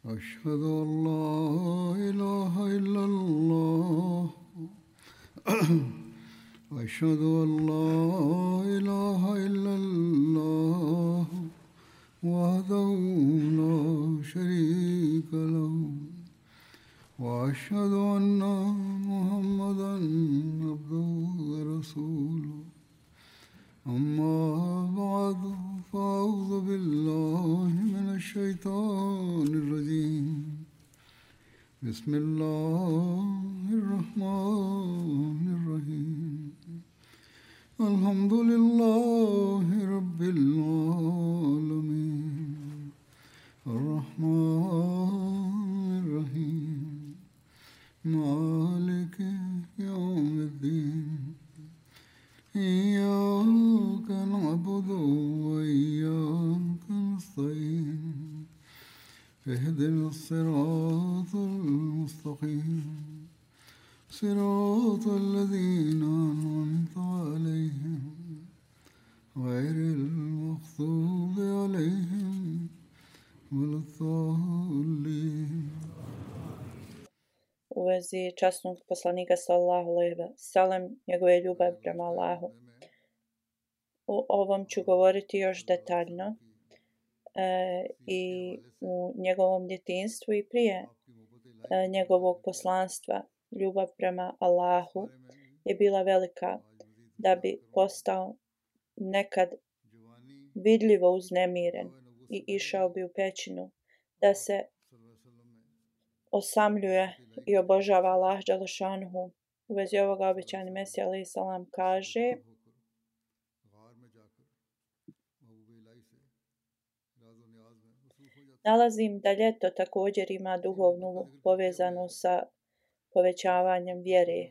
أشهد أن لا إله إلا الله أشهد أن لا إله إلا الله وحده لا شريك له وأشهد أن محمدا عبده ورسوله أما بعد فأعوذ بالله من الشيطان الرجيم بسم الله الرحمن الرحيم الحمد لله رب العالمين الرحمن الرحيم مالك يوم الدين إياك نعبد وإياك نستعين اهدنا الصراط المستقيم صراط الذين أنعمت عليهم غير المغضوب عليهم ولا الضالين. U vezi časnog poslanika sallallahu alejhi ve sellem, njegove ljubavi prema Allahu. O ovom ću govoriti još detaljno i u njegovom djetinjstvu i prije njegovog poslanstva. Ljubav prema Allahu je bila velika da bi postao nekad vidljivo uznemiren i išao bi u pećinu da se osamljuje i obožava Allah dželešanuhu. U vezi ovoga obećani Mesija alejhi selam kaže: nalazim da ljeto također ima duhovnu povezanost sa povećavanjem vjere.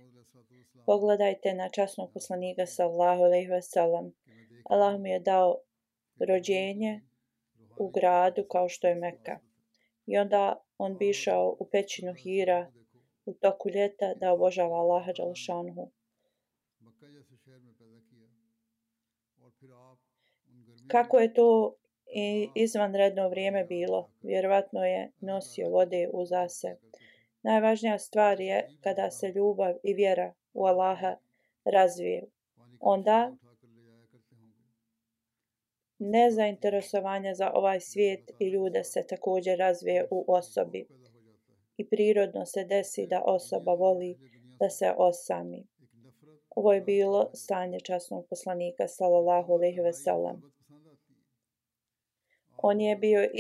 Pogledajte na časnog poslanika sallallahu alejhi ve sellem. Allah mu je dao rođenje u gradu kao što je Meka. I onda on bi išao u pećinu Hira u toku ljeta da obožava Allaha dželešanuhu. Kako je to izvanredno vrijeme bilo, vjerovatno je nosio vode uza se. Najvažnija stvar je kada se ljubav i vjera u Allaha razviju. Onda nezainteresovanje za ovaj svijet i ljude se također razvije u osobi. I prirodno se desi da osoba voli da se osami. Ovo je bilo stanje časnog poslanika sallallahu alejhi ve sellem. On je bio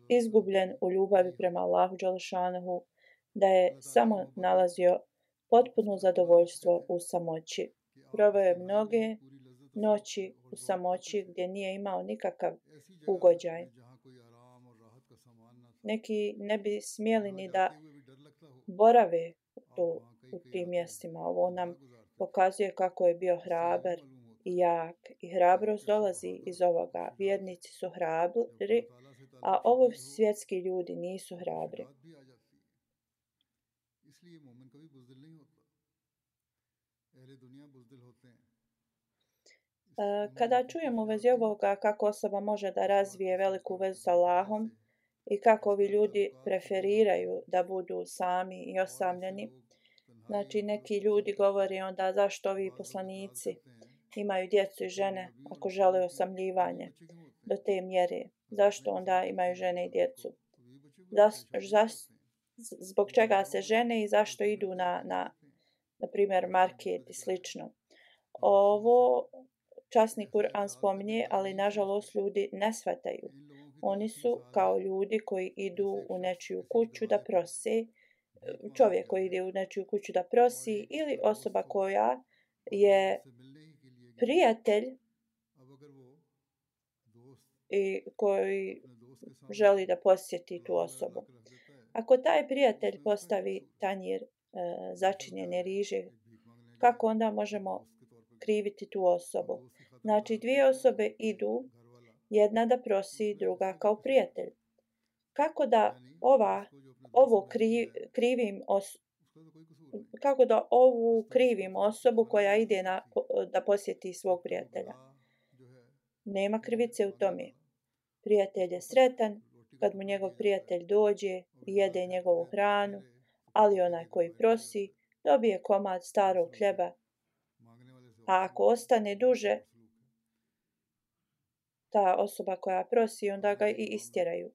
izgubljen u ljubavi prema Allahu dželešanuhu, da je samo nalazio potpuno zadovoljstvo u samoći. Proveo je mnoge noći u samoći gdje nije imao nikakav ugođaj. Neki ne bi smjeli ni da borave u tim mjestima. Ovo nam pokazuje kako je bio hrabar i jak. I hrabrost dolazi iz ovoga. Vjernici su hrabri, a ovo svjetski ljudi nisu hrabri. Kada čujemo u vezi ovoga kako osoba može da razvije veliku vezu sa Allahom i kako ovi ljudi preferiraju da budu sami i osamljeni, znači neki ljudi govore onda zašto ovi poslanici imaju djecu i žene ako žele osamljivanje do te mjere. Zašto onda imaju žene i djecu? Zbog čega se žene i zašto idu na primjer market i slično. Ovo časni Kur'an spominje, ali nažalost ljudi ne shvataju. Oni su kao ljudi koji idu u nečiju kuću da prose, čovjek koji ide u nečiju kuću da prosi ili osoba koja je prijatelj i koji želi da posjeti tu osobu. Ako taj prijatelj postavi tanjir začinjene riže, kako onda možemo kriviti tu osobu? Znači, dvije osobe idu, jedna da prosi, druga kao prijatelj. Kako da ovu krivim osobu koja ide da posjeti svog prijatelja? Nema krivice u tome. Prijatelj je sretan kad mu njegov prijatelj dođe i jede njegovu hranu, ali onaj koji prosi dobije komad starog hljeba, a ako ostane duže, ta osoba koja prosi, onda ga i istjeraju.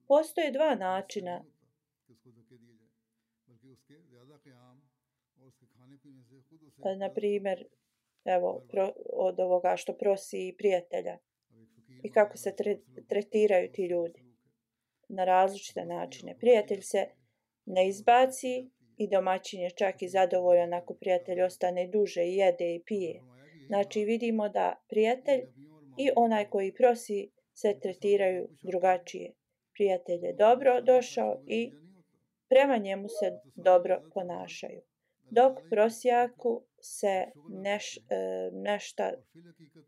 Postoje dva načina na primjer, evo, od ovoga što prosi prijatelja i kako se tretiraju ti ljudi na različite načine. Prijatelj se ne izbaci i domaćin je čak i zadovoljan ako prijatelj ostane duže i jede i pije. Znači vidimo da prijatelj i onaj koji prosi se tretiraju drugačije. Prijatelj je dobro došao i prema njemu se dobro ponašaju. Dok prosjaku se nešta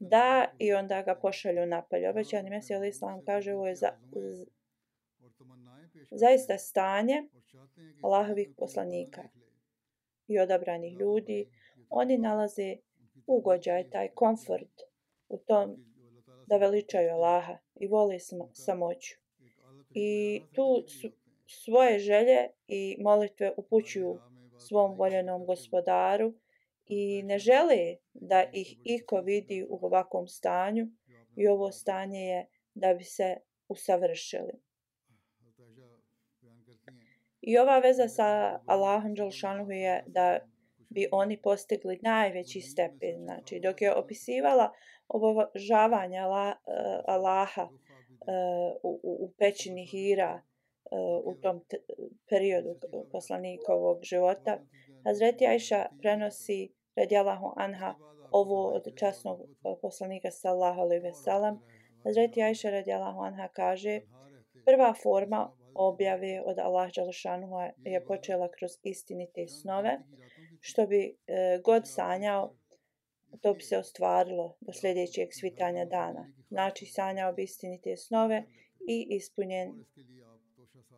da i onda ga pošalju napolje. Obećani Mesija alejhi selam kaže ovo je zaista stanje Allahovih poslanika i odabranih ljudi. Oni nalaze ugođaj, taj komfort u tom da veličaju Allaha i vole samoću. I tu svoje želje i molitve upućuju svom voljenom gospodaru i ne žele da ih iko vidi u ovakvom stanju i ovo stanje je da bi se usavršili. I ova veza sa Allahom dželšanuhu je da bi oni postigli najveći stepen. Znači, dok je opisivala obožavanje Allaha u pećini Hira u tom periodu poslanikovog života, Hazreti Ajša prenosi radijallahu anha ovo od časnog poslanika sallallahu alejhi ve sellem. Hazreti Ajša radijallahu anha kaže: prva forma objave od Allah dželšanuhu je počela kroz istinite snove, što bi god sanjao, to bi se ostvarilo do sljedećeg svitanja dana. Znači sanjao bi istinite snove i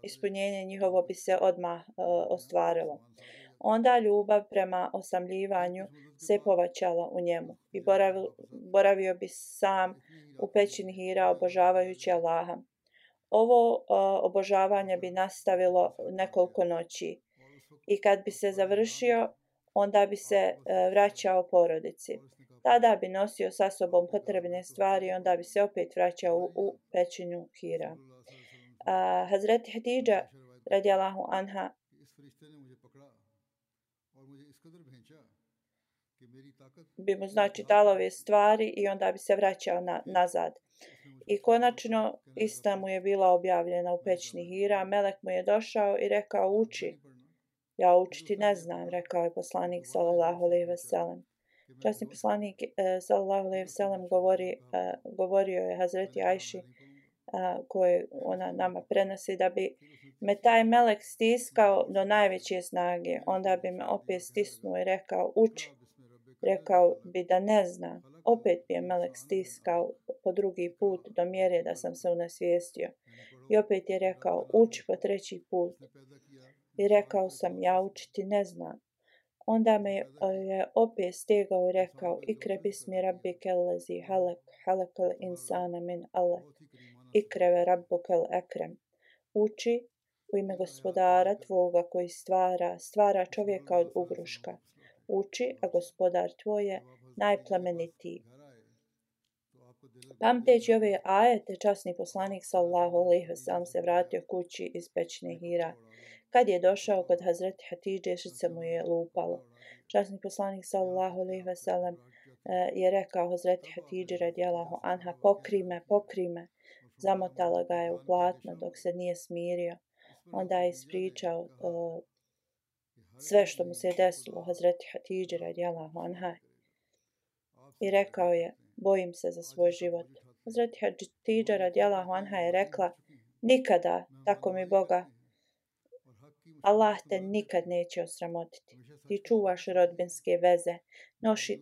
ispunjenje njihovo bi se odmah ostvarilo. Onda ljubav prema osamljivanju se povećala u njemu i boravio bi sam u pećini Hira obožavajući Allaha. Ovo obožavanje bi nastavilo nekoliko noći i kad bi se završio, onda bi se vraćao porodici. Tada bi nosio sa sobom potrebne stvari i onda bi se opet vraćao u pećinu Hira. Hazreti Hatidža radijallahu anha bi mu znači dala ove stvari i onda bi se vraćao nazad. I konačno ista mu je bila objavljena u pećini Hira. Melek mu je došao i rekao: uči. Ja učiti ne znam, rekao je poslanik sallallahu alejhi ve sellem. Časni poslanik sallallahu alejhi ve sellem govorio je Hazreti Ajši, koje ona nama prenosi, da bi me taj melek stiskao do najveće snage, onda bi me opet stisnuo i rekao: uči. Rekao bi da ne zna. Opet bi je melek stiskao po drugi put do mjere da sam se unesvijestio. I opet je rekao: uči po treći put. I rekao sam: ja učiti ne znam. Onda me je opet stegao i rekao: ikre bismi rabbike lezi halakal insana min alek. Ikreve rabbukel ekrem. Uči u ime gospodara tvoga koji stvara čovjeka od ugruška. Uči, a gospodar tvoj je najplemenitiji. Pamteći ove ajete, časni poslanik sallallahu alejhi ve sellem se vratio kući iz pećine Hira. Kad je došao kod Hazreti Hatidže, srce mu je lupalo. Časni poslanik sallallahu alejhi ve sellem je rekao Hazreti Hatidži radijallahu anha: pokri me. Zamotala ga je u platno dok se nije smirio. Onda je ispričao sve što mu se je desilo Hazreti Hatidži radijallahu anha i rekao je: bojim se za svoj život. Hazreti Hatidža radijallahu anha je rekla: nikada, tako mi Boga, Allah te nikad neće osramotiti. Ti čuvaš rodbinske veze,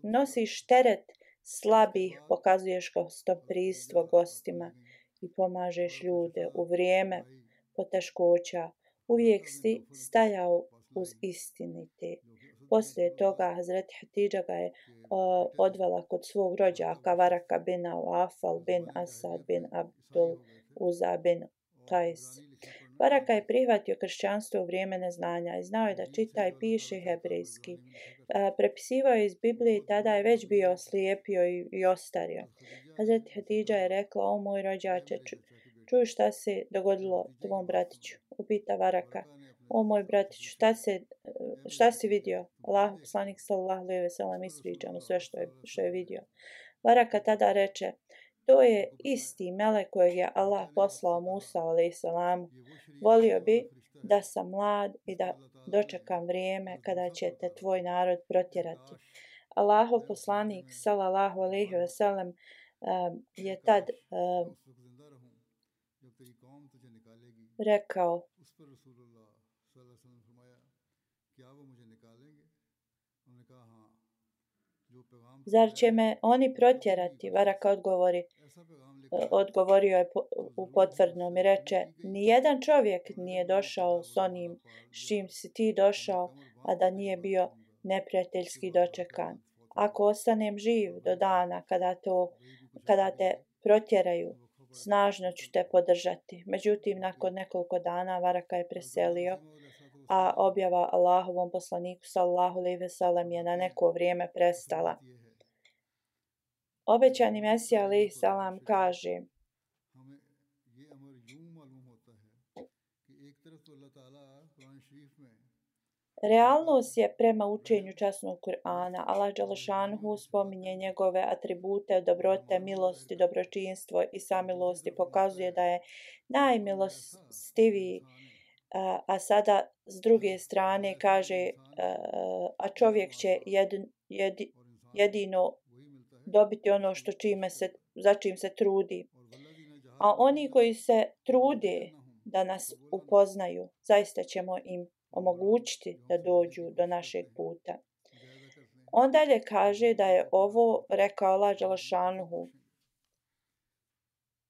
nosiš teret slabih, pokazuješ gostoprimstvo gostima i pomažeš ljude u vrijeme poteškoća. Uvijek si stajao uz istinite. Poslije toga Hazreti Hatidža ga je odvela kod svog rođaka Varaka bin Awfal bin Asad bin Abdul Uza bin Qais. Baraka je prihvatio kršćanstvo u vrijeme neznanja i znao je da čita i piše hebrejski. Prepisivao je iz Biblije i tada je već bio oslijepio i ostario. Hazret Hatidža je rekla: o moj rođače, čuj šta se dogodilo tvom bratiću. Upita Baraka: o moj bratiću, šta si vidio? Allahu poslanik sallallahu alejhi ve sellem ispriča mu sve što je vidio. Baraka tada reče: to je isti melek kojeg je Allah poslao Musa alejsalamu. Volio bi da sam mlad i da dočekam vrijeme kada će te tvoj narod protjerati. Allahov poslanik sallallahu alejhi ve sellem je tad rekao: zar će me oni protjerati? Baraka odgovorio je u potvrdnom i reče: nijedan čovjek nije došao s onim s čim si ti došao, a da nije bio neprijateljski dočekan. Ako ostanem živ do dana kada te protjeraju, snažno ću te podržati. Međutim, nakon nekoliko dana Baraka je preselio, a objava Allahovom poslaniku sallallahu alejhi ve sellem je na neko vrijeme prestala. Obećani Mesija alejhi salam kaže: realnost je prema učenju časnog Kur'ana. Allah dželešanuhu spominje njegove atribute dobrote, milosti, dobročinstvo i samilosti, pokazuje da je najmilostiviji, a sada s druge strane kaže: a čovjek će jedino dobiti ono za čim se trudi. A oni koji se trude da nas upoznaju, zaista ćemo im omogućiti da dođu do našeg puta. On dalje kaže da je ovo rekao Allah dželešanuhu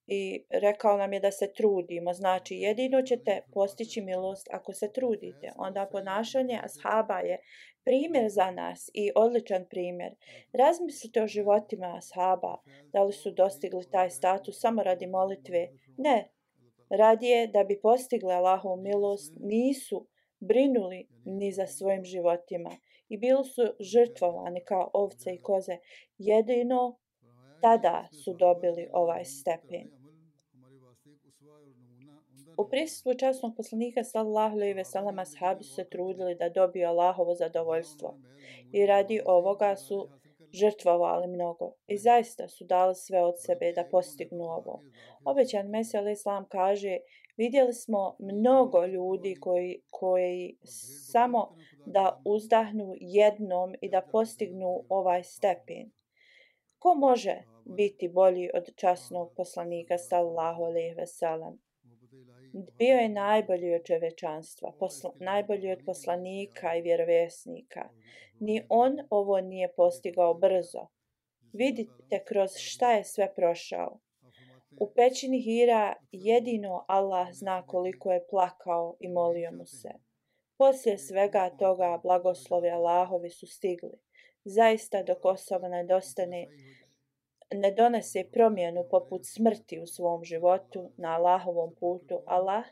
i rekao nam je da se trudimo. Znači, jedino ćete postići milost ako se trudite. Onda ponašanje ashaba je primjer za nas i odličan primjer. Razmislite o životima ashaba. Da li su dostigli taj status samo radi molitve? Ne. Radije da bi postigli Allahovu milost, nisu brinuli ni za svojim životima i bili su žrtvovani kao ovce i koze. Jedino tada su dobili ovaj stepen. U prisustvu časnog poslanika sallallahu alejhi ve sellem ashabi su se trudili da dobiju Allahovo zadovoljstvo i radi ovoga su žrtvovali mnogo i zaista su dali sve od sebe da postignu ovo. Obećan Mesija alejhi selam kaže: vidjeli smo mnogo ljudi koji samo da uzdahnu jednom i da postignu ovaj stepen. Ko može biti bolji od časnog poslanika sallallahu alejhi ve sellem? Bio je najbolji od čovječanstva, najbolji od poslanika i vjerovjesnika. Ni on ovo nije postigao brzo. Vidite kroz šta je sve prošao. U pećini Hira jedino Allah zna koliko je plakao i molio mu se. Poslije svega toga blagoslovi Allahovi su stigli. Zaista dok osoba ne donese promjenu poput smrti u svom životu na Allahovom putu, Allah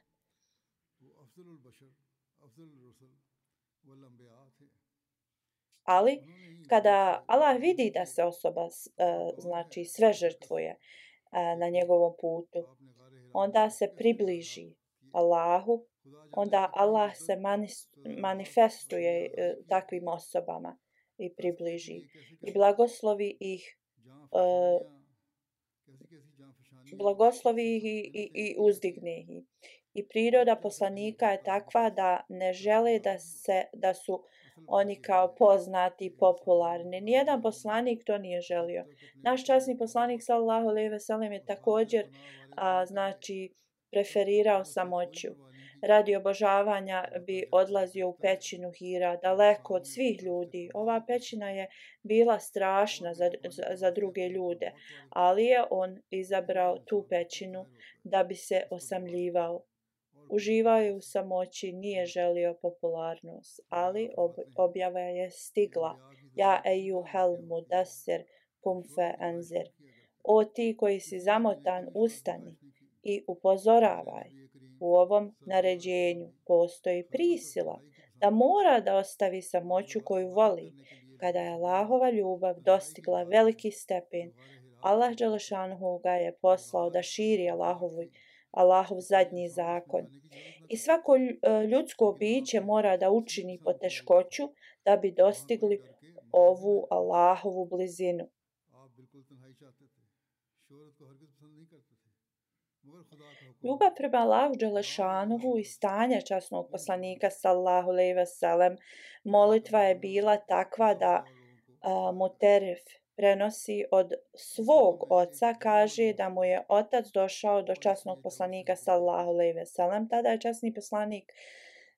ali kada Allah vidi da se osoba znači sve žrtvuje na njegovom putu, onda se približi Allahu, onda Allah se manifestuje takvim osobama i približi i blagoslovi ih i uzdigne ih. I priroda poslanika je takva da ne žele da su oni kao poznati i popularni. Nijedan poslanik to nije želio. Naš časni poslanik sallallahu alejhi ve sellem je također znači preferirao samoću. Radi obožavanja bi odlazio u pećinu Hira, daleko od svih ljudi. Ova pećina je bila strašna za druge ljude, ali je on izabrao tu pećinu da bi se osamljivao. Uživao je u samoći, nije želio popularnost, ali objava je stigla. Ja ejuhel mudassir kum fe anzir. O ti koji si zamotan, ustani i upozoravaj. U ovom naređenju postoji prisila da mora da ostavi samoću koju voli. Kada je Allahova ljubav dostigla veliki stepen, Allah dželešanuhu ga je poslao da širi Allahov zadnji zakon. I svako ljudsko biće mora da učini poteškoću da bi dostigli ovu Allahovu blizinu. Ljubav prema Allahu dželešanuhu i stanje časnog poslanika sallallahu alejhi ve sellem, molitva je bila takva da Muterif prenosi od svog oca, kaže da mu je otac došao do časnog poslanika sallallahu alejhi ve sellem. Tada je časni poslanik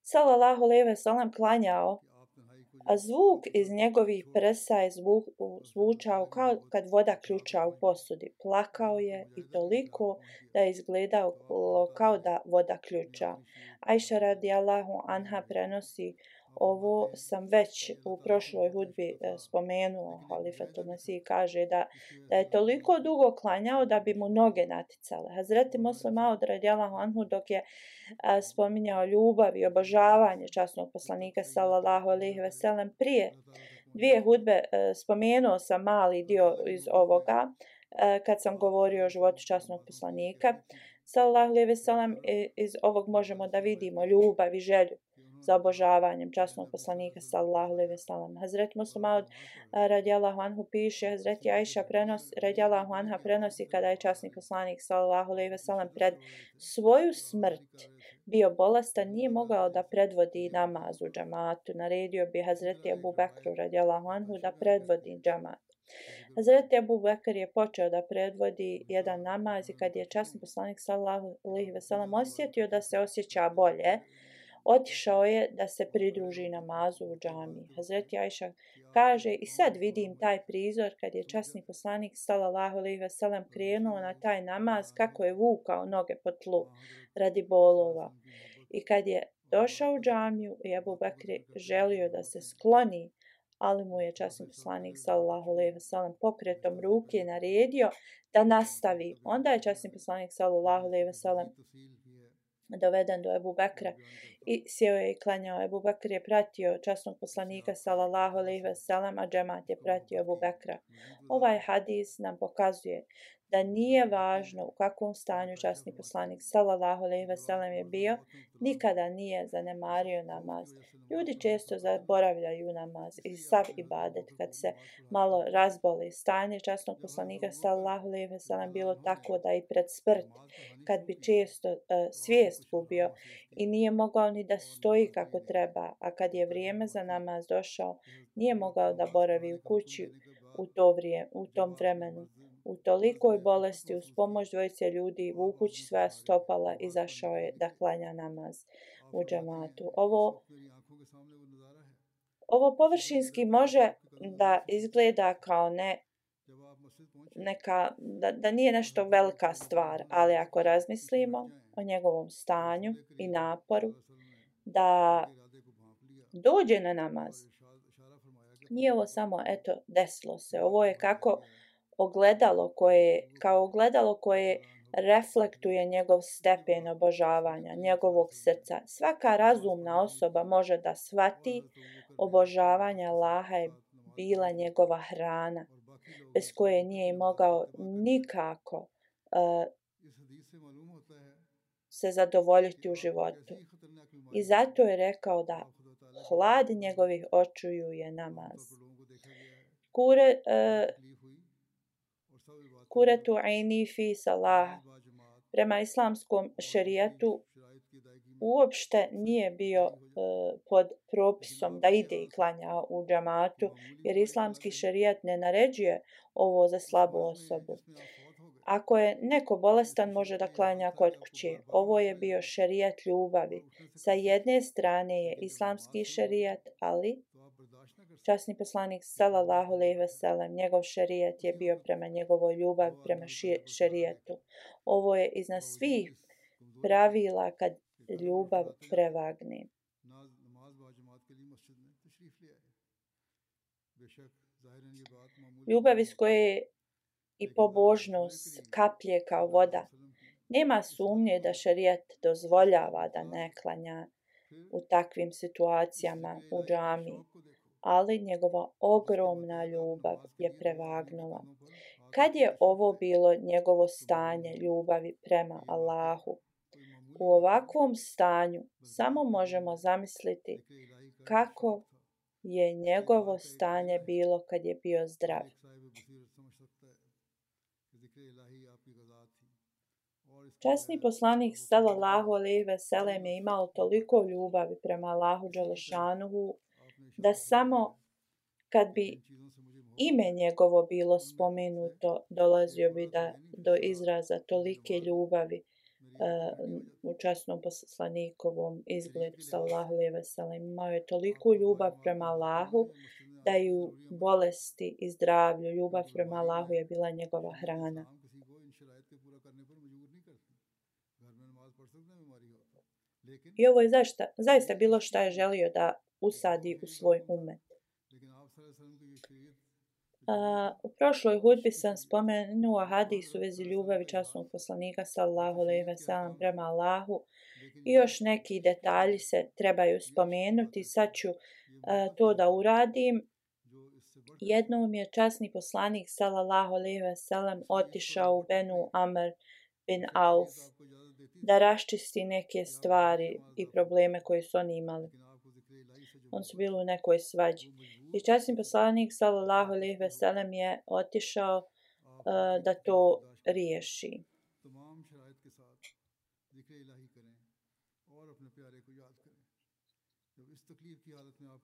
sallallahu alejhi ve sellem klanjao, a zvuk iz njegovih prsa je zvučao kao kad voda ključa u posudi. Plakao je i toliko da je izgledao kao da voda ključa. Ajša radijallahu anha prenosi, ovo sam već u prošloj hudbi spomenuo, Halifatul Mesih kaže da je toliko dugo klanjao da bi mu noge naticale. Hazreti Muslim Maud radijallahu anhu dok je spominjao ljubav i obožavanje časnog poslanika sallallahu alejhi ve sellem prije dvije hudbe, spomenuo sam mali dio iz ovoga kad sam govorio o životu časnog poslanika sallallahu alejhi ve sellem. Iz ovog možemo da vidimo ljubav i želju za obožavanjem časnog poslanika sallallahu alejhi ve sellem. Hazret Muslim Maud radijallahu anhu piše, Hazreti Ajša radijallahu anha prenosi kada je časni poslanik sallallahu alejhi ve sellem pred svoju smrt bio bolestan, nije mogao da predvodi namaz u džamatu. Naredio bi Hazreti Abu Bekru radijallahu anhu da predvodi džamat. Hazreti Abu Bekr je počeo da predvodi jedan namaz i kad je časni poslanik sallallahu alejhi ve sellem osjetio da se osjeća bolje, otišao je da se pridruži namazu u džamiji. Hazreti Ajša kaže, i sad vidim taj prizor kad je časni poslanik sallallahu alejhi ve sellem krenuo na taj namaz, kako je vukao noge po tlu radi bolova. I kad je došao u džamiju i Abu Bekr želio da se skloni, ali mu je časni poslanik sallallahu alejhi ve sellem pokretom ruke naredio da nastavi. Onda je časni poslanik sallallahu alejhi ve sellem doveden do Ebu Bekra i sjeo je i klanjao. Ebu Bekr je pratio časnog poslanika sallallahu alejhi ve sellem, a džemat je pratio Ebu Bekra. Ovaj hadis nam pokazuje da nije važno u kakvom stanju časni poslanik sallallahu alejhi ve sellem je bio, nikada nije zanemario namaz. Ljudi često zaboravljaju namaz i sav ibadet kad se malo razboli. Stanje časnog poslanika sallallahu alejhi ve sellem bilo tako da i pred smrt, kad bi često svijest gubio i nije mogao ni da stoji kako treba, a kad je vrijeme za namaz došao, nije mogao da boravi u kući u tom vremenu. U tolikoj bolesti uz pomoć dvojice ljudi vukući svoja stopala izašao je da klanja namaz u džamatu. Ovo površinski može da izgleda kao da nije nešto velika stvar, ali ako razmislimo o njegovom stanju i naporu da dođe na namaz, nije ovo samo desilo se. Ovo je kao ogledalo koje reflektuje njegov stepen obožavanja, njegovog srca. Svaka razumna osoba može da shvati obožavanje Allaha je bila njegova hrana, bez koje nije mogao nikako se zadovoljiti u životu. I zato je rekao da hlad njegovih očiju je namaz. Kuretu aini fi salah. Prema islamskom šerijatu uopšte nije bio pod propisom da ide i klanja u džamatu, jer islamski šerijat ne naređuje ovo za slabu osobu. Ako je neko bolestan, može da klanja kod kuće. Ovo je bio šerijat ljubavi. Sa jedne strane je islamski šerijat, ali časni poslanik sallallahu alejhi ve sellem, njegov šerijat je bio prema njegovoj ljubavi, prema šerijetu. Ovo je iznad svih pravila kad ljubav prevagne. Ljubav iz koje i pobožnost kaplje kao voda Nema sumnje da šerijat dozvoljava da ne klanja u takvim situacijama u džamiji, ali njegova ogromna ljubav je prevagnula. Kad je ovo bilo njegovo stanje ljubavi prema Allahu? U ovakvom stanju samo možemo zamisliti kako je njegovo stanje bilo kad je bio zdrav. Časni poslanik sallallahu alejhi ve sellem je imao toliko ljubavi prema Allahu dželešanuhu da samo kad bi ime njegovo bilo spomenuto dolazio bi do izraza tolike ljubavi u časnom poslanikovom izgledu sallallahu alejhi ve sellem. Imao je toliku ljubav prema Allahu da i u bolesti i zdravlju ljubav prema Allahu je bila njegova hrana. I ovo je zaista bilo što je želio da usadi u svoj umet. U prošloj hudbi sam spomenuo hadis u vezi ljubavi časnog poslanika sallallahu alejhi ve sellem prema Allahu i još neki detalji se trebaju spomenuti. Sad ću to da uradim. Jednom je časni poslanik sallallahu alejhi ve sellem otišao u Benu Amr bin Auf da raščisti neke stvari i probleme koje su oni imali. On su bili u nekoj svađi. I časni poslanik sallallahu alejhi ve sellem je otišao da to riješi.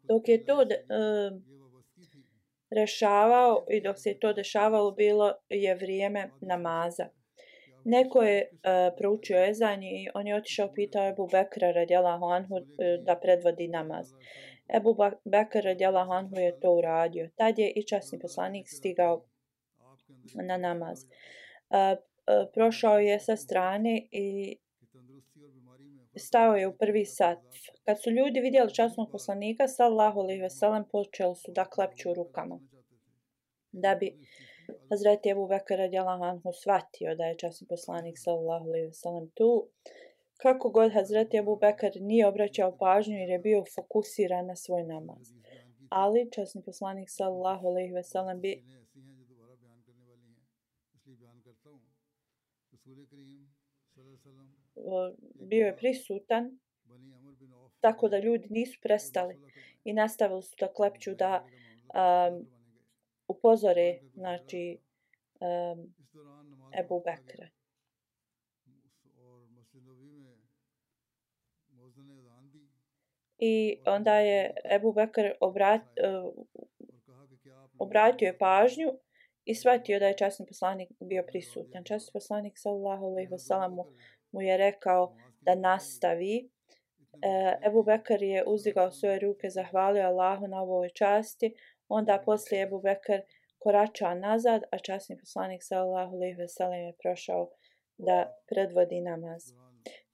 Dok je to rešavao i dok se to dešavalo, bilo je vrijeme namaza. Neko je proučio ezan i on je otišao pitao Ebu Bekra radijallahu anhu da predvodi namaz. Ebu Bekr radijallahu anhu je to uradio. Tad je i časni poslanik stigao na namaz. Prošao je sa strane i stao je u prvi sat. Kad su ljudi vidjeli časnog poslanika sallallahu alejhi ve sellem, počeli su da klepću rukama. Da bi Hazreti Ebu Bekr radijallahu anhu shvatio da je časni poslanik sallallahu alejhi ve sellem tu. Kako god Hazreti Ebu Bekr nije obraćao pažnju jer je bio fokusiran na svoj namaz. Ali časni poslanik sallallahu alejhi ve sellem bio je prisutan, tako da ljudi nisu prestali i nastavili su da klepću da upozore, znači, Ebu Bekra. I onda je Ebu Bekr obratio je pažnju i shvatio da je časni poslanik bio prisutan. Časni poslanik sallallahu alejhi ve sellem mu je rekao da nastavi. Ebu Bekr je uzdigao svoje ruke, zahvalio Allahu na ovoj časti. Onda poslije Ebu Bekr korača nazad, a časni poslanik sallallahu alejhi ve sellem je prošao da predvodi namaz.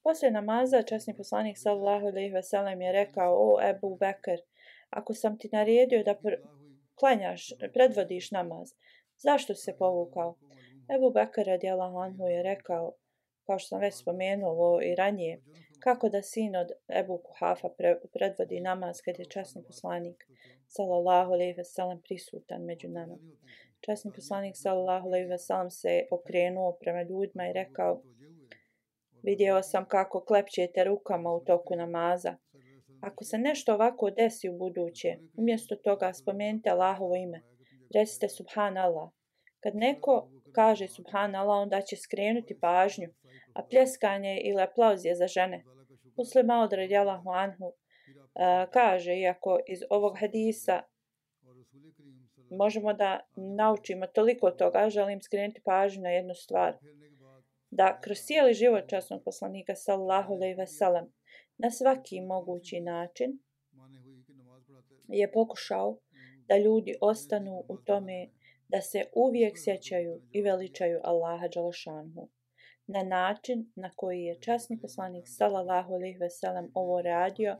Poslije namaza časni poslanik sallallahu alejhi ve sellem je rekao: "O Ebu Bekr, ako sam ti naredio da klanjaš, predvodiš namaz, zašto si se povukao?" Ebu Bekr radijallahu anhu je rekao, kao što sam već spomenuo i ranije, kako da sin od Ebu Kuhafa predvodi namaz kad je časni poslanik sallallahu alejhi ve sellem prisutan među nama. Časni poslanik sallallahu alejhi ve sellem se okrenuo prema ljudima i rekao: "Vidio sam kako klepćete rukama u toku namaza. Ako se nešto ovako desi u buduće, umjesto toga spomenite Allahovo ime. Recite Subhanallah. Kad neko kaže Subhanallah, onda će skrenuti pažnju, a pljeskanje ili aplauz je za žene." Muslim Maud radijallahu anhu kaže, iako iz ovog hadisa možemo da naučimo toliko toga, želim skrenuti pažnju na jednu stvar. Da kroz cijeli život časnog poslanika sallallahu alejhi ve sellem na svaki mogući način je pokušao da ljudi ostanu u tome da se uvijek sjećaju i veličaju Allaha dželešanuhu. Na način na koji je časni poslanik sallallahu alejhi ve sellem ovo radio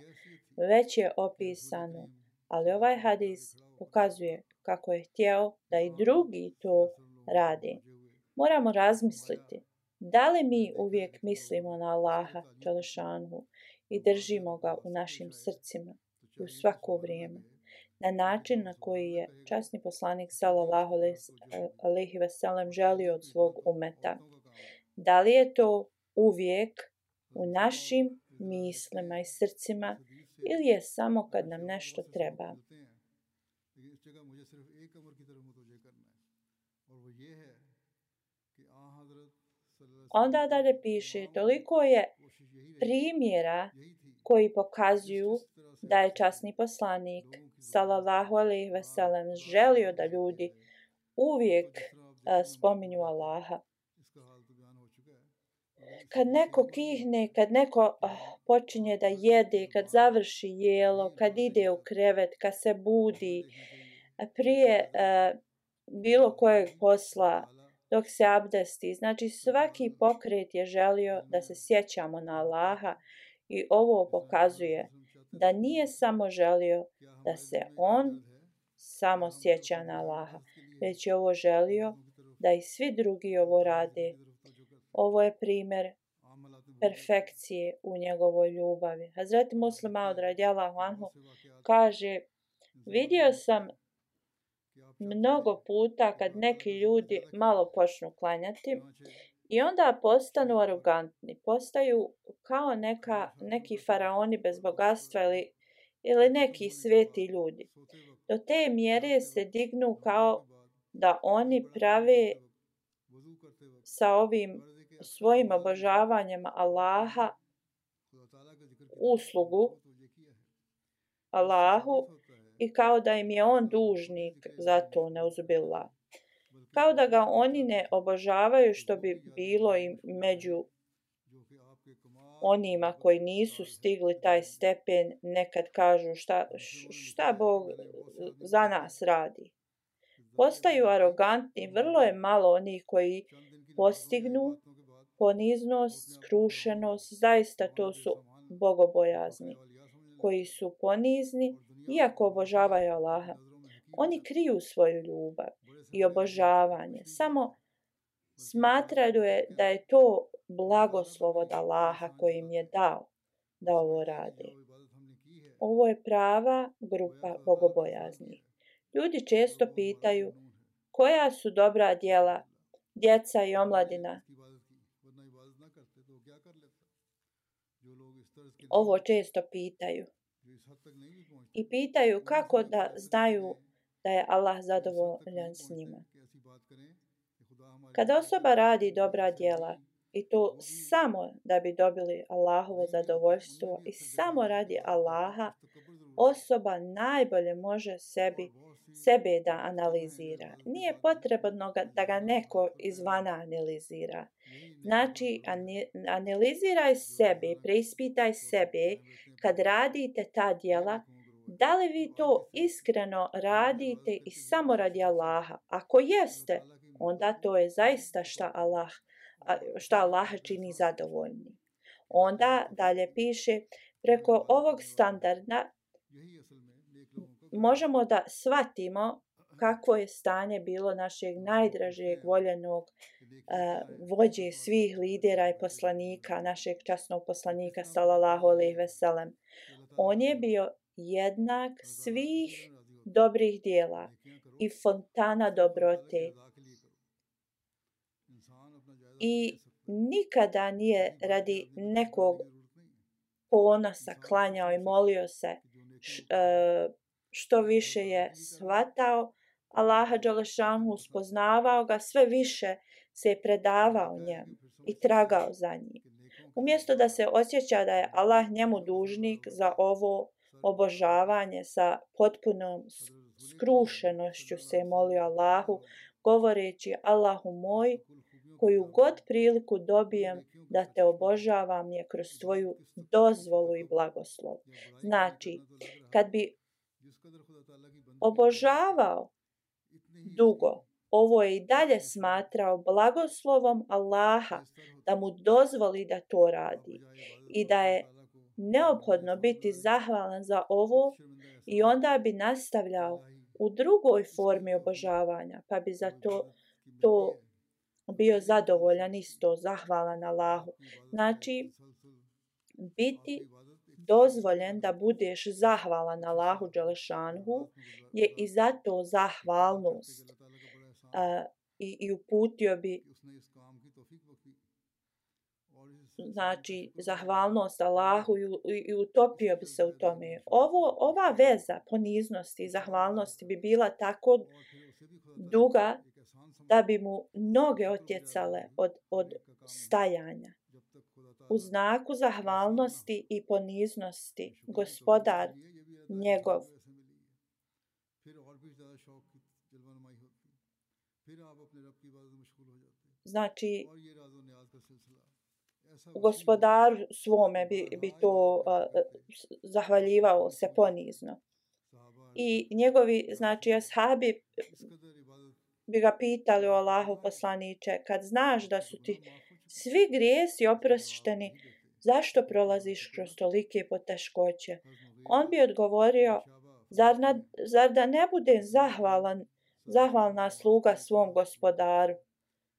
već je opisano, ali ovaj hadis pokazuje kako je htjeo da i drugi to rade. Moramo razmisliti Da li mi uvijek mislimo na Allaha Đelešanhu i držimo ga u našim srcima i u svako vrijeme, na način na koji je časni poslanik sallallahu alejhi ve sellem želio od svog umeta? Da li je to uvijek u našim mislima i srcima ili je samo kad nam nešto treba? Onda dalje piše, toliko je primjera koji pokazuju da je časni poslanik sallallahu alejhi ve sellem želio da ljudi uvijek spominju Allaha. Kad neko kihne, kad neko počinje da jede, kad završi jelo, kad ide u krevet, kad se budi, prije bilo kojeg posla, dok se abdesti. Znači svaki pokret je želio da se sjećamo na Allaha i ovo pokazuje da nije samo želio da se on samo sjeća na Allaha, već je ovo želio da i svi drugi ovo rade. Ovo je primjer perfekcije u njegovoj ljubavi. Hazreti Muslim Maud radijallahu anhu kaže, vidio sam mnogo puta kad neki ljudi malo počnu klanjati i onda postanu arogantni, postaju kao neki faraoni bez bogatstva ili neki sveti ljudi. Do te mjere se dignu kao da oni prave sa ovim svojim obožavanjem Allaha uslugu Allahu i kao da im je on dužnik za to, neuzubillah. Kao da ga oni ne obožavaju, što bi bilo i među onima koji nisu stigli taj stepen, nekad kažu šta Bog za nas radi. Postaju arogantni, vrlo je malo onih koji postignu poniznost, skrušenost, zaista to su bogobojazni, koji su ponizni iako obožavaju Allaha. Oni kriju svoju ljubav i obožavanje, samo smatraju da je to blagoslov od Allaha koji im je dao da ovo rade. Ovo je prava grupa bogobojaznih. Ljudi često pitaju koja su dobra djela djeca i omladina. Ovo često pitaju. I pitaju kako da znaju da je Allah zadovoljan s njima. Kada osoba radi dobra djela i to samo da bi dobili Allahovo zadovoljstvo i samo radi Allaha, osoba najbolje može sebe da analizira. Nije potrebno da ga neko izvana analizira. Znači, analiziraj sebe, preispitaj sebe kad radite ta djela, da li vi to iskreno radite i samo radi Allaha. Ako jeste, onda to je zaista šta Allaha čini zadovoljni. Onda dalje piše, preko ovog standarda možemo da shvatimo kakvo je stanje bilo našeg najdražeg voljenog vođe svih lidera i poslanika, našeg časnog poslanika sallallahu alejhi ve sellem. On je bio jednak svih dobrih djela i fontana dobrote. I nikada nije radi nekog ponosa klanjao i molio se, što više je shvatao Allaha Đelešanhu, spoznavao ga, sve više se je predavao njemu i tragao za njim. Umjesto da se osjeća da je Allah njemu dužnik za ovo obožavanje, sa potpunom skrušenošću se je molio Allahu, govoreći, Allahu moj, koju god priliku dobijem da te obožavam je kroz tvoju dozvolu i blagoslov. Znači, kad bi obožavao dugo, ovo je i dalje smatrao blagoslovom Allaha da mu dozvoli da to radi i da je neophodno biti zahvalan za ovo i onda bi nastavljao u drugoj formi obožavanja, pa bi za to bio zadovoljan isto, zahvalan Allahu. Znači, biti dozvoljen da budeš zahvalan Allahu dželešanhu je i zato zahvalnost. I uputio bi znači zahvalnost Allahu i utopio bi se u tome. Ova veza poniznosti i zahvalnosti bi bila tako duga da bi mu noge otjecale od stajanja. U znaku zahvalnosti i poniznosti gospodar njegov znači gospodaru svome bi to zahvaljivao se ponizno. I njegovi znači ashabi bi ga pitali o Allahu poslaniče, kad znaš da su ti svi grijesi oprošteni, zašto prolaziš kroz tolike poteškoće? On bi odgovorio, zar da ne budem zahvalna sluga svom gospodaru?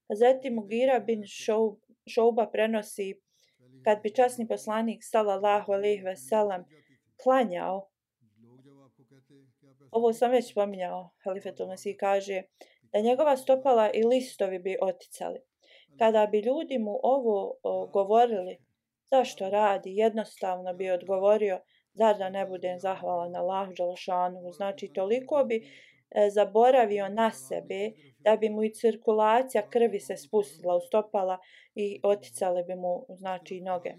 Hazreti Mugira bin Šouba prenosi, kad bi časni poslanik sallallahu alejhi ve sellem klanjao, ovo sam već spominjao, Halifetul Mesih kaže da njegova stopala i listovi bi oticali. Kada bi ljudi mu ovo govorili, zašto radi, jednostavno bi odgovorio, zar da ne budem zahvalan Allahu dželešanuhu. Znači, toliko bi zaboravio na sebe da bi mu i cirkulacija krvi se spustila u stopala i oticale bi mu znači noge.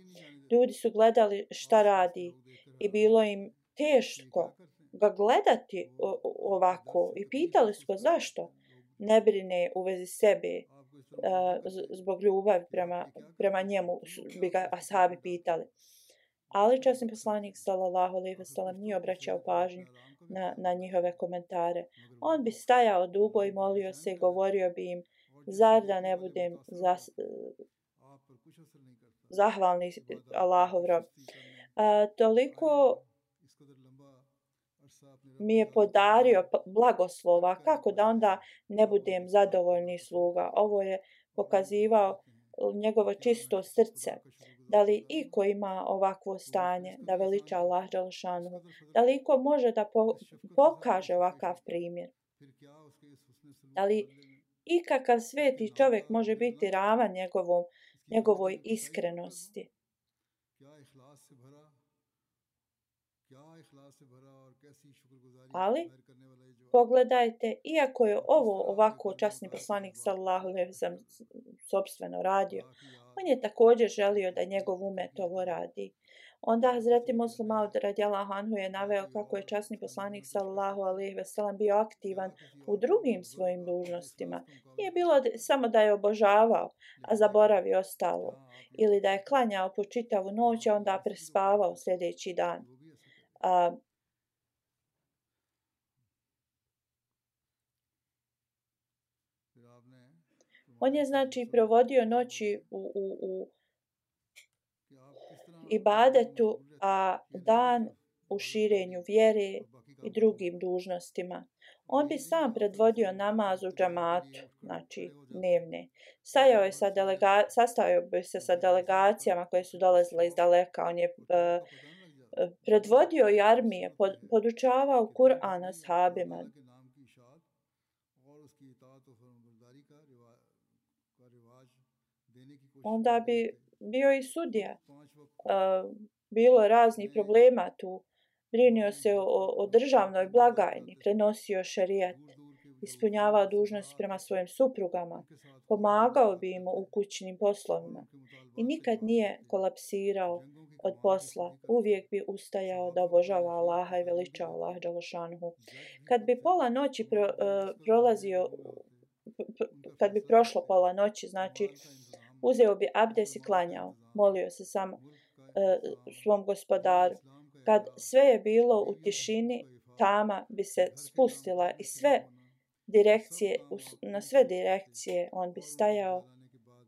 Ljudi su gledali šta radi i bilo im teško ga gledati ovako i pitali su ga zašto ne brine u vezi sebe. Zbog ljubavi prema njemu bi ga ashabi pitali. Ali časni poslanik sallallahu alejhi ve sellem nije obraćao pažnju na njihove komentare. On bi stajao dugo i molio se i govorio bi im, zar da ne budem zahvalni Allahov rob. Toliko mi je podario blagoslova, kako da onda ne budem zadovoljni sluga. Ovo je pokazivao njegovo čisto srce. Da li iko ima ovakvo stanje, da veliča Allah dželešanuhu? Da li iko može da pokaže ovakav primjer? Da li ikakav sveti čovjek može biti ravan njegovoj iskrenosti? Ali pogledajte, iako je ovo ovako časni poslanik sallallahu alejhi ve sellem sopstveno radio, on je također želio da njegov umet ovo radi. Onda Hazreti Muslim Maud radijallahu anhu je naveo kako je časni poslanik sallallahu alejhi ve sellem bio aktivan u drugim svojim dužnostima. Nije bilo samo da je obožavao, a zaboravio ostalo, ili da je klanjao po čitavu noć, a onda prespavao sljedeći dan. On je znači provodio noći u ibadetu, a dan u širenju vjere i drugim dužnostima. On bi sam predvodio namaz u džamatu, znači dnevne. Sastajao bi se sa delegacijama koje su dolazile iz daleka. On je predvodio i armije, podučavao Kur'an ashabima. Onda bi bio i sudija. Bilo raznih problema tu. Brinio se o državnoj blagajni, prenosio šerijat, ispunjavao dužnosti prema svojim suprugama, pomagao bi im u kućnim poslovima i nikad nije kolapsirao od posla. Uvijek bi ustajao da obožava Allaha i veličao Allah dželešanuhu. Kad bi pola noći kad bi prošlo pola noći, znači uzeo bi abdes i klanjao, molio se samo svom gospodaru. Kad sve je bilo u tišini, tama bi se spustila i na sve direkcije on bi stajao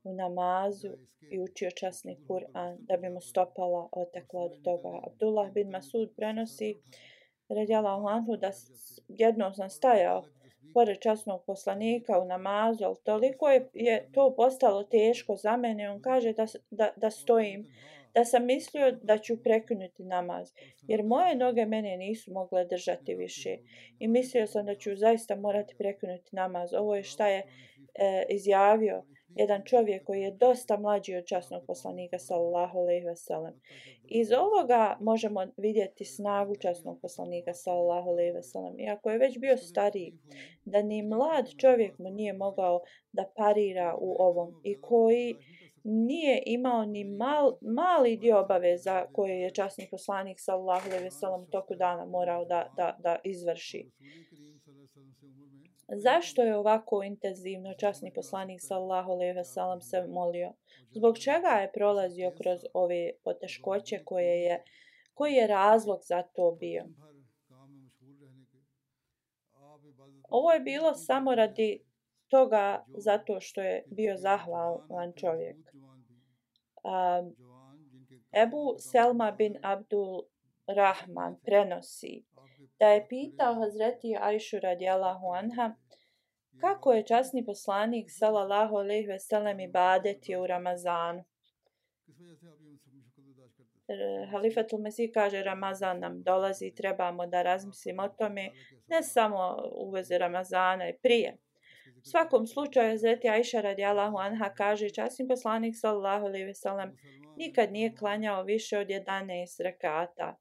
u namazu i učio časni Kur'an da bi mu stopala otekla od toga. Abdullah bin Masud prenosi radijallahu anhu da jednom sam stajao pored časnog poslanika u namazu, ali toliko je to postalo teško za mene. On kaže da stojim, da sam mislio da ću prekinuti namaz, jer moje noge mene nisu mogle držati više i mislio sam da ću zaista morati prekinuti namaz. Ovo je šta je izjavio jedan čovjek koji je dosta mlađi od časnog poslanika sallallahu alejhi ve sellem. Iz ovoga možemo vidjeti snagu časnog poslanika sallallahu alejhi ve sellem. Iako je već bio stariji, da ni mlad čovjek mu nije mogao da parira u ovom i koji nije imao ni mali dio obaveza koje je časni poslanik sallallahu alejhi ve sellem u toku dana morao da izvrši. Zašto je ovako intenzivno časni poslanik sallallahu alejhi ve sellem se molio? Zbog čega je prolazio kroz ove poteškoće koji je razlog za to bio? Ovo je bilo samo radi toga zato što je bio zahvalan čovjek. Ebu Selma bin Abdul Rahman prenosi da je pitao Hazreti Ajšu radijallahu anha kako je časni poslanik sallallahu alejhi ve sellem ibadetio u Ramazanu. Halifatul Mesih kaže Ramazan nam dolazi, trebamo da razmislimo o tome, ne samo u vezi Ramazana i prije. U svakom slučaju Hazreti Ajša radijallahu anha kaže časni poslanik sallallahu alejhi ve sellem nikad nije klanjao više od 11 rekata.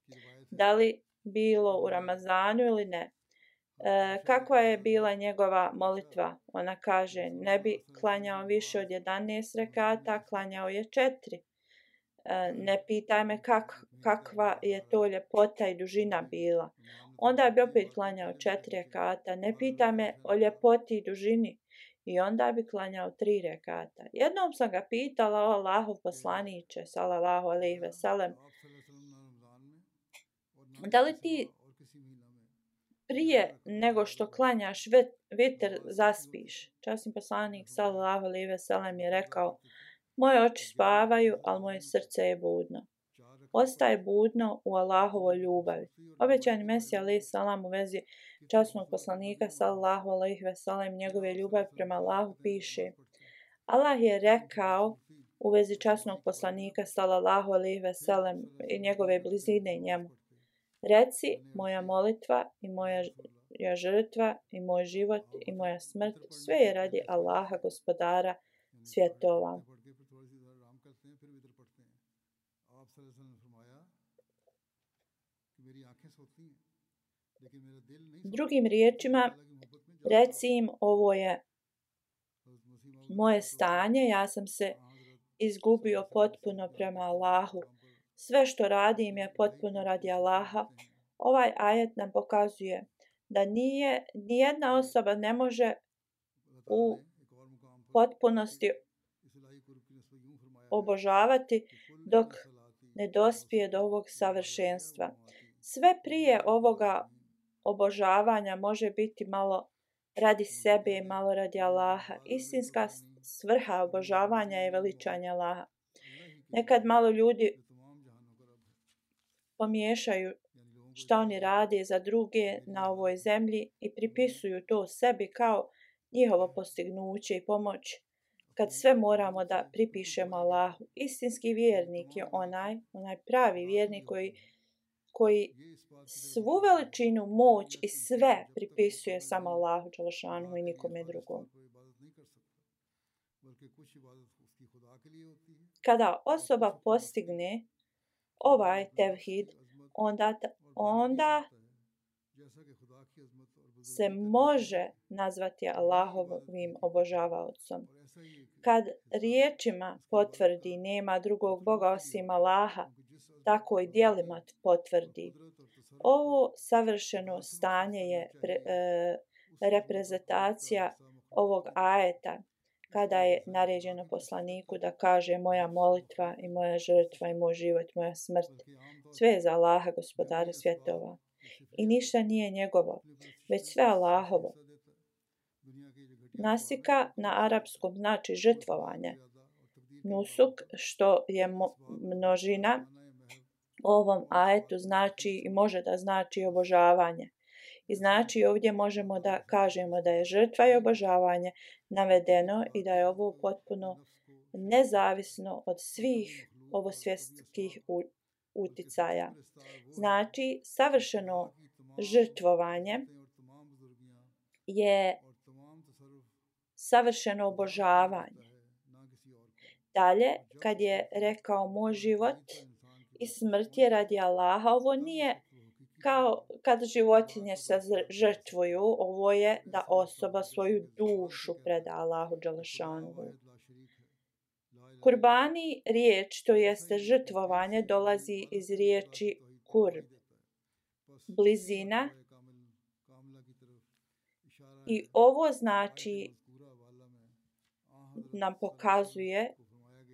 Da li bilo u Ramazanu ili ne? Kakva je bila njegova molitva? Ona kaže ne bi klanjao više od 11 rekata, klanjao je 4. Ne pitaj me kakva je to ljepota i dužina bila. Onda bi opet klanjao 4 rekata. Ne pitaj me o ljepoti i dužini. I onda bi klanjao 3 rekata. Jednom sam ga pitala o Allahov poslaniče sallallahu alejhi ve sellem, da li ti prije nego što klanjaš vitr zaspiš? Časni poslanik sallallahu alejhi ve sellem je rekao moje oči spavaju, ali moje srce je budno. Ostaje budno u Allahovoj ljubavi. Obećani Mesija alejhi selam u vezi časnog poslanika sallallahu alejhi ve sellem njegove ljubavi prema Allahu piše: Allah je rekao u vezi časnog poslanika sallallahu alejhi ve sellem i njegove blizine njemu: reci, moja molitva i moja žrtva i moj život i moja smrt sve je radi Allaha gospodara svjetova. Drugim riječima, reci im ovo je moje stanje, ja sam se izgubio potpuno prema Allahu. Sve što radim je potpuno radi Allaha. Ovaj ajet nam pokazuje da nijedna osoba ne može u potpunosti obožavati dok ne dospije do ovog savršenstva. Sve prije ovoga obožavanja može biti malo radi sebe i malo radi Allaha. Istinska svrha obožavanja je veličanje Allaha. Nekad malo ljudi pomiješaju šta oni rade za druge na ovoj zemlji i pripisuju to sebi kao njihovo postignuće i pomoć, kad sve moramo da pripišemo Allahu. Istinski vjernik je onaj pravi vjernik koji svu veličinu, moć i sve pripisuje samo Allahu dželešanu i nikome drugom. Kada osoba postigne ovaj tevhid, onda se može nazvati Allahovim obožavaocom. Kad riječima potvrdi nema drugog Boga osim Allaha, tako i djelima potvrdi. Ovo savršeno stanje je reprezentacija ovog ajeta kada je naređeno poslaniku da kaže moja molitva i moja žrtva i moj život, moja smrt. Sve je za Allaha gospodara svjetova. I ništa nije njegovo, već sve Allahovo. Nasika na arapskom znači žrtvovanje. Nusuk, što je množina, u ovom ajetu znači i može da znači obožavanje. I znači ovdje možemo da kažemo da je žrtva i obožavanje navedeno i da je ovo potpuno nezavisno od svih ovosvjetskih uticaja. Znači, savršeno žrtvovanje je savršeno obožavanje. Dalje, kad je rekao moj život i smrt je radi Allaha, ovo nije kao kad životinje se žrtvuju, ovo je da osoba svoju dušu preda Allahu dželešanuhu. Kurbani, riječ, to jeste žrtvovanje, dolazi iz riječi kurb, blizina. I ovo znači, nam pokazuje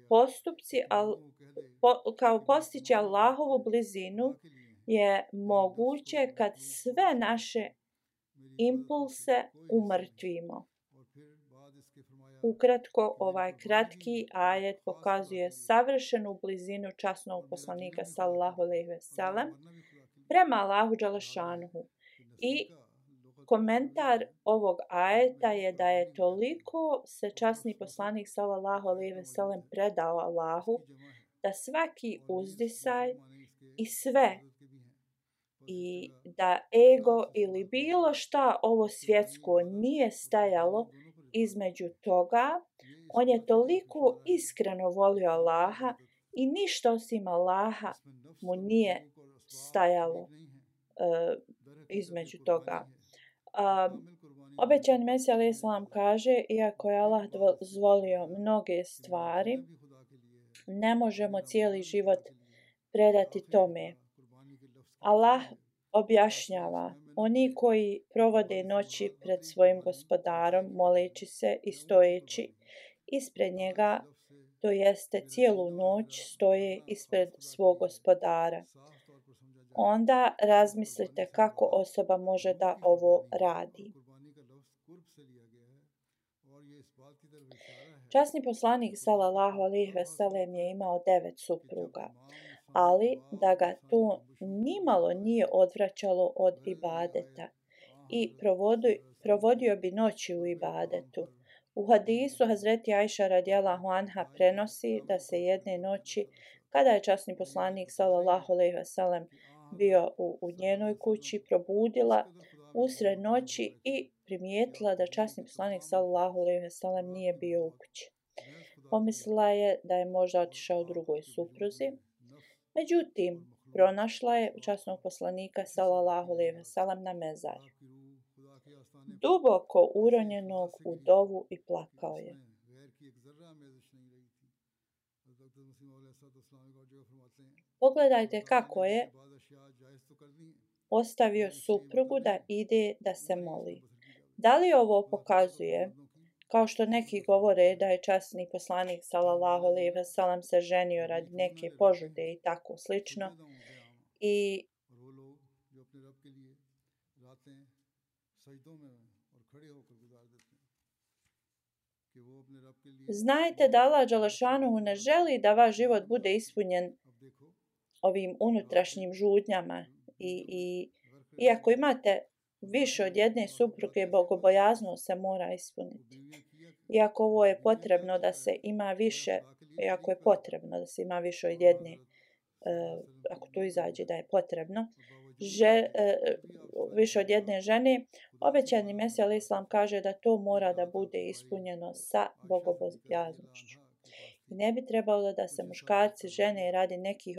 postupci, kao postići Allahovu blizinu je moguće kad sve naše impulse umrtvimo. Ukratko, ovaj kratki ajet pokazuje savršenu blizinu časnog poslanika sallallahu alejhi ve sellem prema Allahu dželešanuhu. I komentar ovog ajeta je da je toliko se časni poslanik sallallahu alejhi ve sellem predao Allahu da svaki uzdisaj i sve i da ego ili bilo šta ovo svjetsko nije stajalo između toga, on je toliko iskreno volio Allaha i ništa osim Allaha mu nije stajalo između toga. Obećani Mesija alejhi selam kaže, iako je Allah dozvolio mnoge stvari, ne možemo cijeli život predati tome. Allah objašnjava, oni koji provode noći pred svojim gospodarom, moleći se i stojeći ispred njega, to jeste cijelu noć stoje ispred svog gospodara. Onda razmislite kako osoba može da ovo radi. Časni poslanik sallallahu alejhi ve sellem je imao 9 supruga, ali da ga to nimalo nije odvraćalo od ibadeta i provodio bi noći u ibadetu. U hadisu Hazreti Ajša radijallahu anha prenosi da se jedne noći, kada je časni poslanik sallallahu alejhi ve sellem bio u njenoj kući, probudila usred noći i primijetila da časni poslanik sallallahu alejhi ve sellem nije bio u kući. Pomislila je da je možda otišao drugoj supruzi. Međutim, pronašla je časnog poslanika sallallahu alejhi ve sellem na mezarju, duboko uronjenog u dovu i plakao je. Pogledajte kako je ostavio suprugu da ide da se moli. Da li ovo pokazuje, kao što neki govore da je časni poslanik sallallahu alejhi ve sellem se ženio radi neke požude i tako slično, i znajte da Allah dželešanuhu ne želi da vaš život bude ispunjen ovim unutrašnjim žudnjama i iako imate više od jedne supruge, bogobojaznost se mora ispuniti. Iako ovo je potrebno da se ima više, iako je potrebno da se ima više od jedne, ako to izađe da je potrebno, više od jedne žene, obećani Mesija alejhi selam kaže da to mora da bude ispunjeno sa bogobojaznošću. I ne bi trebalo da se muškarci žene radi nekih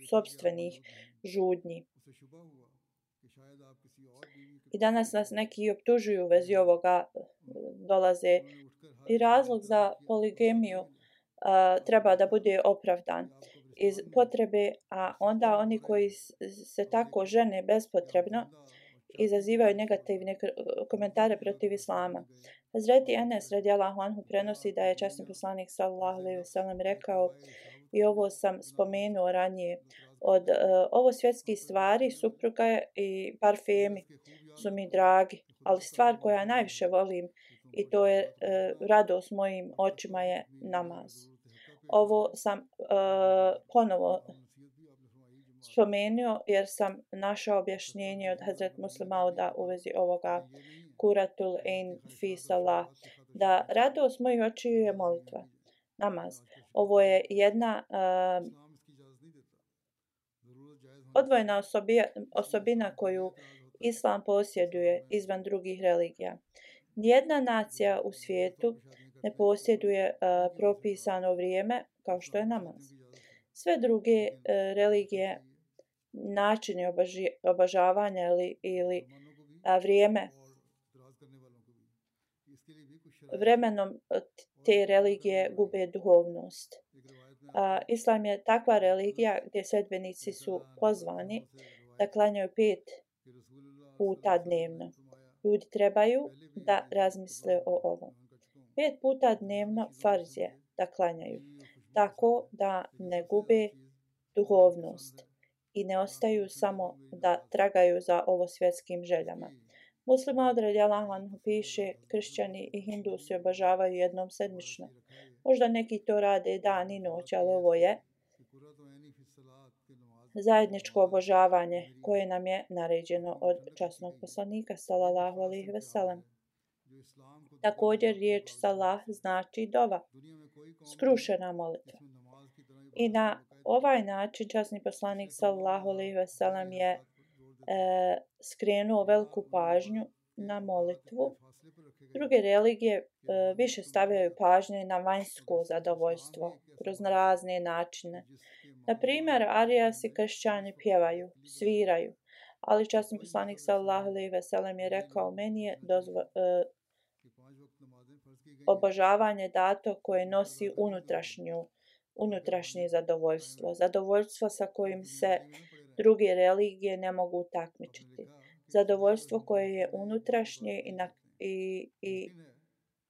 sopstvenih žudnji. I danas nas neki optužuju u vezi ovoga, dolaze i razlog za poligamiju treba da bude opravdan iz potrebe, a onda oni koji se tako žene bespotrebno izazivaju negativne komentare protiv islama. Hazreti Enes radijallahu anhu prenosi da je časni poslanik sallallahu alejhi ve sellem rekao, i ovo sam spomenuo ranije, od ovo svjetskih stvari, supruga i parfemi su mi dragi, ali stvar koja najviše volim i to je radost mojim očima je namaz. Ovo sam ponovo spomenuo jer sam našao objašnjenje od Hazret Muslima Mauda u vezi ovoga Kuratul Ain fi salah, da radost mojih očiju je molitva, namaz. Ovo je jedna odvojena osobina koju Islam posjeduje izvan drugih religija. Nijedna nacija u svijetu ne posjeduje propisano vrijeme kao što je namaz. Sve druge religije, načini obožavanja ili vrijeme, vremenom te religije gube duhovnost. Islam je takva religija gdje sledbenici su pozvani da klanjaju 5 puta dnevno. Ljudi trebaju da razmisle o ovom. 5 puta dnevno farz je da klanjaju, tako da ne gube duhovnost i ne ostaju samo da tragaju za ovo svjetskim željama. Muslim Maud radijallahu anhu piše, kršćani i hindusi obožavaju jednom sedmično. Možda neki to rade dan i noć, ali ovo je zajedničko obožavanje koje nam je naređeno od časnog poslanika sallallahu alejhi ve sellem. Također riječ salah znači dova, skrušena molitva. I na ovaj način časni poslanik sallallahu alejhi ve sellem je skrenuo veliku pažnju na molitvu. Druge religije više stavljaju pažnje na vanjsko zadovoljstvo kroz razne načine. Na primjer, arijasi kršćani pjevaju, sviraju, ali časni poslanik sallallahu alejhi ve sellem je rekao, meni je obožavanje dato koje nosi unutrašnje zadovoljstvo, zadovoljstvo sa kojim se druge religije ne mogu takmičiti, zadovoljstvo koje je unutrašnje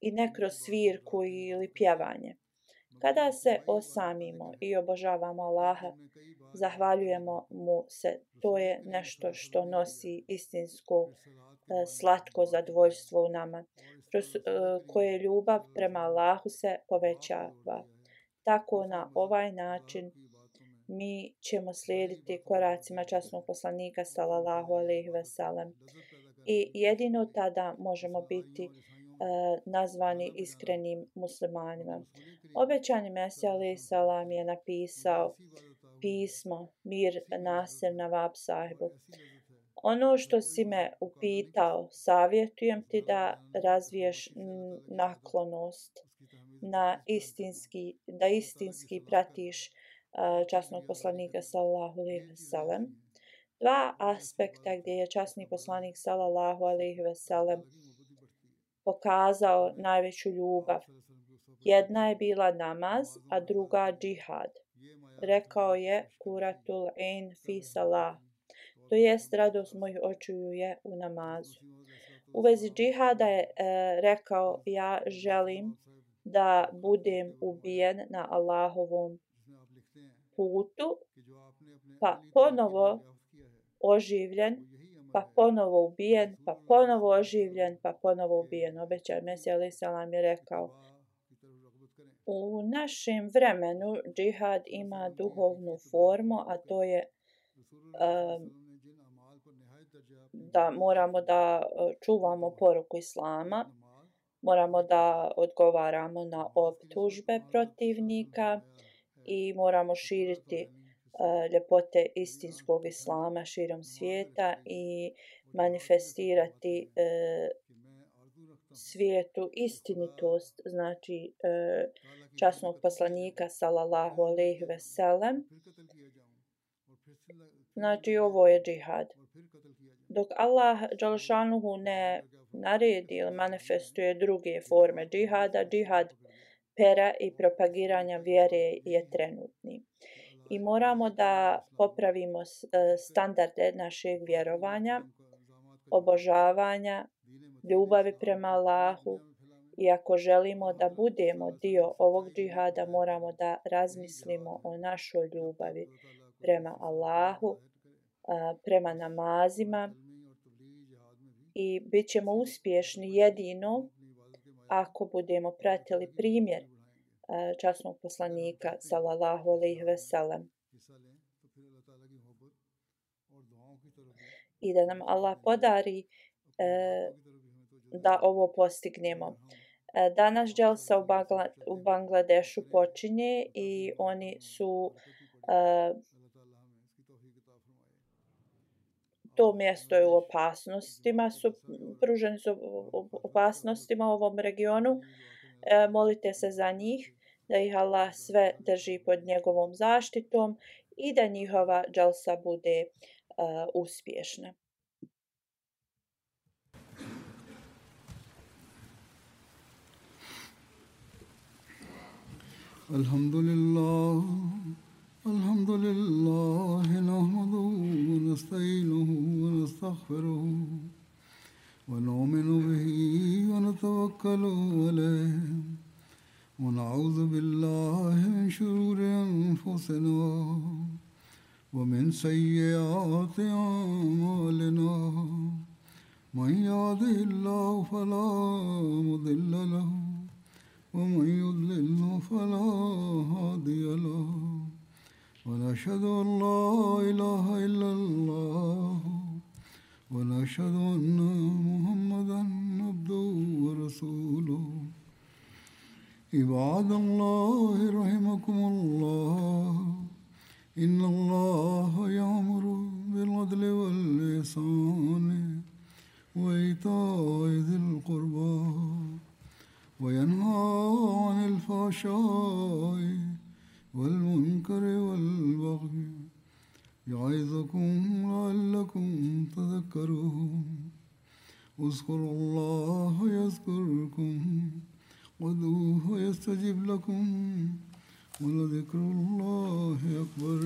i ne kroz svirku ili pjevanje. Kada se osamimo i obožavamo Allaha, zahvaljujemo mu se, to je nešto što nosi istinsko slatko zadovoljstvo u nama, kroz koje ljubav prema Allahu se povećava. Tako na ovaj način mi ćemo slijediti koracima časnog poslanika sallallahu alejhi ve sellem i jedino tada možemo biti nazvani iskrenim muslimanima. Obećani Mesija alejhi selam je napisao pismo Mir Nasir Nawab sahibu. Ono što si me upitao, savjetujem ti da razviješ naklonost da istinski pratiš časnog poslanika sallallahu alejhi ve sellem. Dva aspekta gdje je časni poslanik sallallahu alejhi ve sellem pokazao najveću ljubav. Jedna je bila namaz, a druga džihad. Rekao je Kuratul Ain fi salah, to jest radost mojih očiju je u namazu. U vezi džihada je rekao, ja želim da budem ubijen na Allahovom putu, pa ponovo oživljen, pa ponovo ubijen, pa ponovo oživljen, pa ponovo ubijen. Obećan Mesija alejhi selam je rekao, u našem vremenu džihad ima duhovnu formu, a to je da moramo da čuvamo poruku Islama, moramo da odgovaramo na optužbe protivnika i moramo širiti ljepote istinskog Islama širom svijeta i manifestirati svijetu istinitost, znači časnog poslanika sallallahu alejhi ve sellem. Znači ovo je džihad. Dok Allah dželšanuhu ne naredi ili manifestuje druge forme džihada, džihad pera i propagiranja vjere je trenutni. I moramo da popravimo standarde našeg vjerovanja, obožavanja, ljubavi prema Allahu i ako želimo da budemo dio ovog džihada, moramo da razmislimo o našoj ljubavi prema Allahu, prema namazima i bit ćemo uspješni jedino ako budemo pratili primjer časnog poslanika sallallahu alejhi ve sellem. i da nam Allah podari da ovo postignemo. Danas dželsa u Bangladešu počinje i oni su to mjesto je u opasnostima, pruženi su opasnostima u ovom regionu. Molite se za njih, da ih Allah sve drži pod njegovom zaštitom i da njihova dželsa bude uspješna. Alhamdulillah, alhamdulillah, nahmaduhu wa nasta'inuhu wa nastaghfiruhu wa nu'minu bihi wa natawakkalu alayhi wa na'udhu billahi min shururi anfusina wa min sayyiati a'malina. Man yahdihillahu fala mudilla lahu ومن يضلل فلا هادي له ونشهد أن لا إله إلا الله ونشهد أن محمدا عبده ورسوله عباد الله رحمكم الله إن الله يأمر بالعدل والإحسان وإيتاء ذي القربى وينهى عن الفحشاء والمنكر والبغي يعظكم لعلكم تذكرون اذكروا الله يذكركم وادعوه يستجب لكم ولذكر الله أكبر.